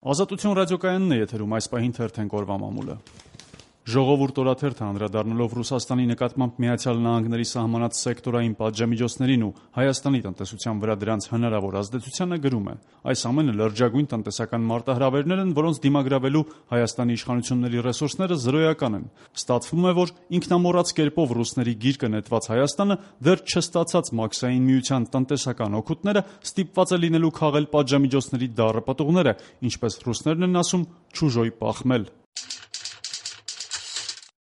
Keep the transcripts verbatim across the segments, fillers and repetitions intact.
Ազատություն ռադիոկայանն է եթերում, այս պահին թերթենք օրվա մամուլը։ Ժողովուրդ օրաթերթը անդրադառնալով Ռուսաստանի նկատմամբ Միացյալ Նահանգների սահմանած սեկտորային պատժամիջոցներին ու Հայաստանի տնտեսության վրա դրանց հնարավոր ազդեցությանը գրում է. այս ամենը լրջագույն տնտեսական մարտահրավերներ են, որոնց դիմագրավելու Հայաստանի իշխանությունների ռեսուրսները զրոյական են։ Ստացվում է, որ ինքնամոռաց կերպով ռուսների գիրկը նետված Հայաստանը դեռ չստացած Մաքսային միության տնտեսական օգուտները ստիպված է լինելու քաղել պատժամիջոցների դառը պտուղները, ինչպես ռուսներն են ասում, չուժոյ պախմել։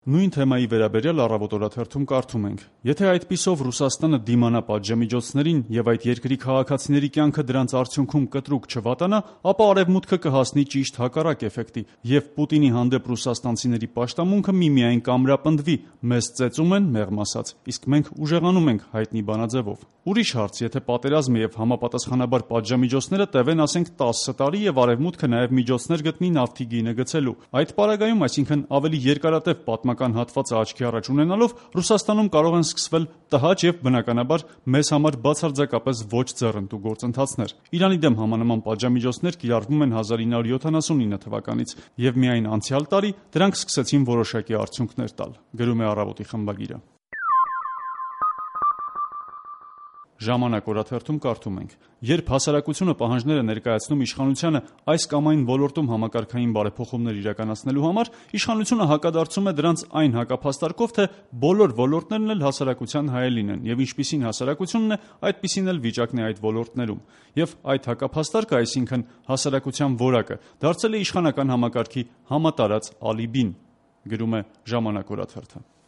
Նույն թեմայի վերաբերյալ Առավոտ օրաթերթում կարդում ենք. եթե այդպիսով Ռուսաստանը դիմանա պատժամիջոցներին եւ այդ երկրի քաղաքացիների կյանքը դրանց արդյունքում կտրուկ չվատանա, ապա Արևմուտքը կհասնի ճիշտ հակառակ էֆեկտի, եւ Պուտինի հանդեպ ռուսաստանցիների պաշտամունքը միմիայն կամրապնդվի, մեզ ծեծում են, մեղմ ասած, իսկ մենք ուժեղանում ենք հայտնի բանաձևով։ Ուրիշ հարց, եթե պատերազմը եւ համապատասխանաբար պատժամիջոցները տևեն, ասենք տասը տարի եւ Արևմուտքը նաեւ միջոցներ գտնի նավթի գինը գցելու։ Այդ պարագայում, այսինքն ավելի երկարատև պատմական հատվածը աչքի առաջ ունենալով, Ռուսաստանում կարող են սկսվել տհաճ եւ բնականաբար մեզ համար բացարձակապես ոչ ձեռնտու գործընթացներ։ Իրանի դեմ համանման պատժամիջոցներ կիրառվում են հազար ինը հարյուր յոթանասունինը թվականից եւ միայն անցյալ տարի դրանք սկսեցին որոշակի արդյունքներ տալ, գրում է Առավոտի խմբագիրը։ Ժամանակ օրաթերթում կարդում ենք. երբ հասարակությունը պահանջներ է ներկայացնում իշխանությանը այս կամ այն ոլորտում համակարգային բարեփոխումներ իրականացնելու համար, իշխանությունը հակադարձում է դրանց այն հակափաստարկով, թե բոլոր ոլորտներն էլ հասարակության հայելին են, եւ ինչպիսին հասարակությունն է, այդպիսին էլ վիճակն է այդ ոլորտներում։ Եվ այդ հակափաստարկը, այսինքն հասարակության որակը, դարձել է իշխանական համակարգի համատարած ալիբին, գրում է Ժամանակ օրաթերթը։